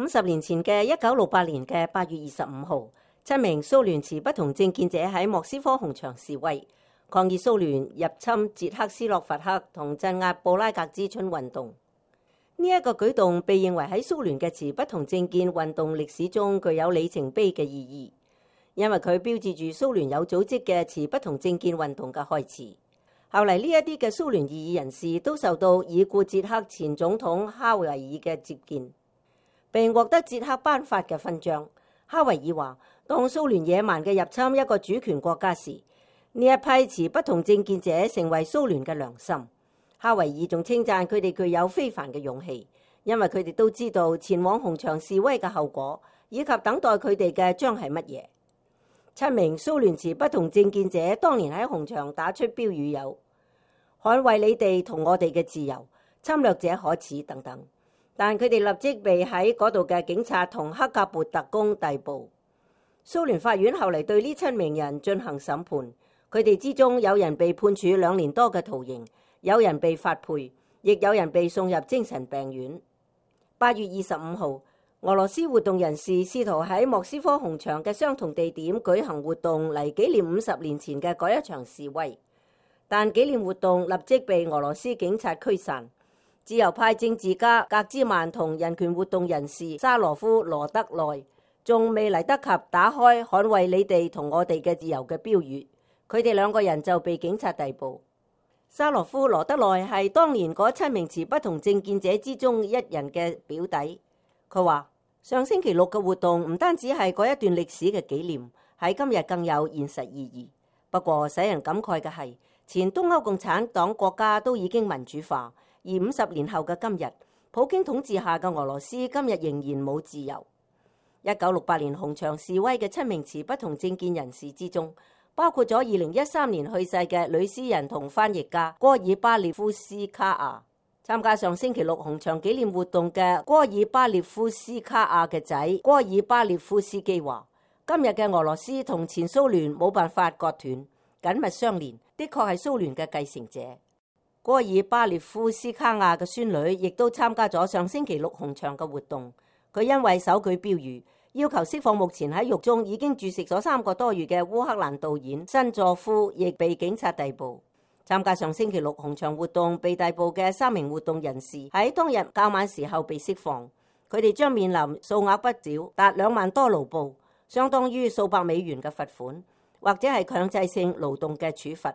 50年前嘅1968年嘅8月25號，7名蘇聯持不同政見者喺莫斯科紅場示威，抗議蘇聯入侵捷克斯洛伐克同鎮壓布拉格之春運動。呢一個舉動被認為喺蘇聯嘅持不同政見運動歷史中具有里程碑嘅意義，因為佢標誌住蘇聯有組織嘅持不同政見運動嘅開始。後嚟呢一啲嘅蘇聯異議人士都受到已故捷克前總統哈維爾嘅接見，並獲得捷克頒發嘅勳章。哈維爾話：當蘇聯野蠻嘅入侵一個主權國家時，呢一批持不同政見者成為蘇聯嘅良心。哈維爾仲稱讚佢哋具有非凡嘅勇氣，因為佢哋都知道前往紅場示威嘅後果，以及等待佢哋嘅將係乜嘢。7名蘇聯持不同政見者當年喺紅場打出標語有：捍衛你哋同我哋嘅自由，侵略者可恥等等。但佢哋立即被喺嗰度嘅警察同克格勃特工逮捕。蘇聯法院後嚟對呢7名人進行審判，佢哋之中有人被判處2年多嘅徒刑，有人被發配，亦有人被送入精神病院。8月25號，俄羅斯活動人士試圖喺莫斯科紅場嘅相同地點舉行活動嚟紀念50年前嘅嗰一場示威，但紀念活動立即被俄羅斯警察驅散。自由派政治家格茲曼同人權活動人士沙羅夫羅德內仲未嚟得及打開捍衛你哋同我哋嘅自由嘅標語，佢哋2個人就被警察逮捕。沙羅夫羅德內係當年嗰7名持不同政見者之中一人嘅表弟。佢話：上星期6嘅活動唔單止係嗰一段歷史嘅紀念，喺今日更有現實意義。不過使人感慨嘅係，前東歐共產黨國家都已經民主化，而50年後嘅今日，普京統治下嘅俄羅斯今日仍然冇自由。1968年紅場示威嘅7名持不同政見人士之中，包括咗2013年去世嘅女詩人同翻譯家戈爾巴列夫斯卡亞。參加上星期6紅場紀念活動嘅戈爾巴列夫斯卡亞嘅仔戈爾巴列夫斯基話：今日嘅俄羅斯同前蘇聯冇辦法割斷，緊密相連，的確係蘇聯嘅繼承者。戈爾巴列夫斯卡亞嘅孫女亦都參加咗上星期6紅場嘅活動。佢因為手舉標語要求釋放目前喺獄中已經注釋咗3個多月嘅烏克蘭導演申佐夫，亦被警察逮捕。參加上星期6紅場活動被逮捕嘅3名活動人士喺當日較晚時候被釋放，佢哋將面臨數額不少達2萬多盧布，相當於數百美元嘅罰款，或者係強制性勞動嘅處罰。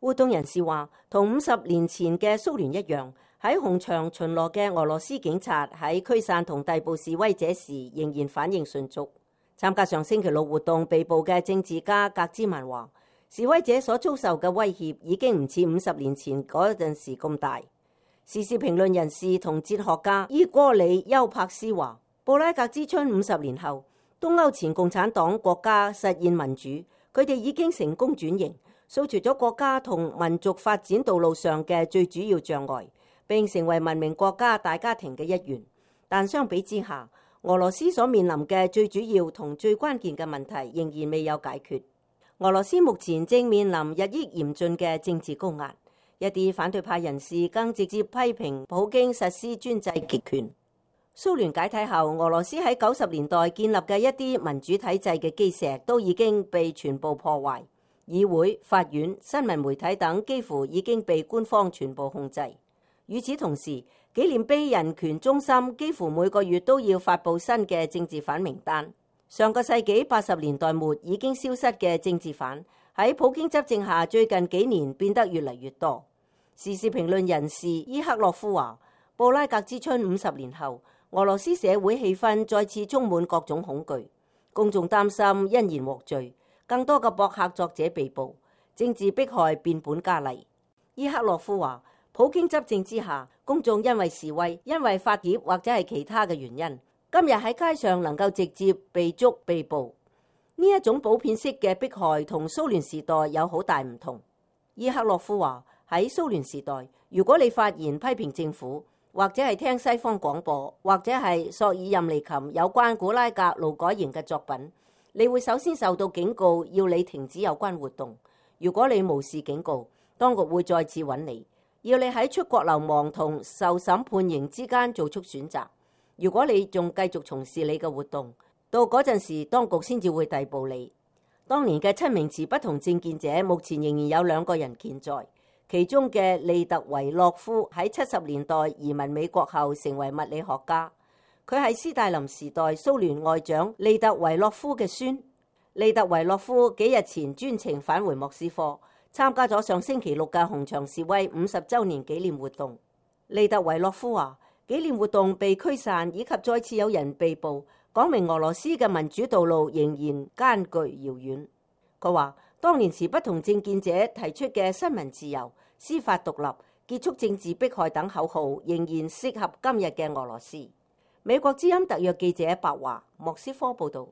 活動人士話，同50年前嘅蘇聯一樣，喺紅場巡邏嘅俄羅斯警察喺驅散同逮捕示威者時仍然反應迅速。參加上星期6活動被捕嘅政治家格茲曼話，示威者所遭受嘅威脅已經唔似50年前嗰陣時咁大。時事評論人士同哲學家伊戈里·丘柏斯話，布拉格之春50年後，東歐前共產黨國家實現民主，佢哋已經成功轉型，掃除咗國家同民族發展道路上嘅最主要障礙，並成為文明國家大家庭嘅一員。但相比之下，俄羅斯所面臨嘅最主要同最關鍵嘅問題仍然未有解決。俄羅斯目前正面臨日益嚴峻嘅政治高壓，一啲反對派人士更直接批評普京實施專制極權。蘇聯解體後，俄羅斯喺90年代建立嘅一啲民主體制嘅基石都已經被全部破壞，議會、法院、新聞媒體等幾乎已經被官方全部控制。與此同時，紀念碑人權中心幾乎每個月都要發布新嘅政治犯名單。上個世紀80年代末已經消失嘅政治犯，喺普京執政下最近幾年變得越嚟越多。時事評論人士伊克洛夫話，布拉格之春50年後，俄羅斯社會氣氛再次充滿各種恐懼，公眾擔心因言獲罪，更多嘅博客作者被捕，政治迫害變本加厲。伊克洛夫話，普京執政之下，公眾因為示威、因為發帖或者係其他嘅原因，今日喺街上能夠直接被捉被捕，呢一種普遍式嘅迫害同蘇聯時代有好大唔同。伊克洛夫話，喺蘇聯時代，如果你發言批評政府，或者係聽西方廣播，或者係索爾任尼琴有關古拉格勞改營嘅作品，你會首先受到警告，要你停止有關活動。如果你無視警告，當局會再次揾你，要你喺出國流亡同受審判刑之間做出選擇。如果你仲繼續從事你嘅活動，到嗰陣時當局先至會逮捕你。當年嘅7名持不同政見者，目前仍然有2個人健在，其中嘅利特維洛夫喺70年代移民美國後成為物理學家，佢係斯大林時代蘇聯外長利特維洛夫嘅孫。利特維洛夫幾日前專程返回莫斯科，參加咗上星期6嘅紅場示威50週年紀念活動。利特維洛夫話：紀念活動被驅散以及再次有人被捕，講明俄羅斯嘅民主道路仍然艱巨遙遠。佢話：當年持不同政見者提出嘅新聞自由、司法獨立、結束政治迫害等口號，仍然適合今日嘅俄羅斯。美國之音特約記者白華，莫斯科報導。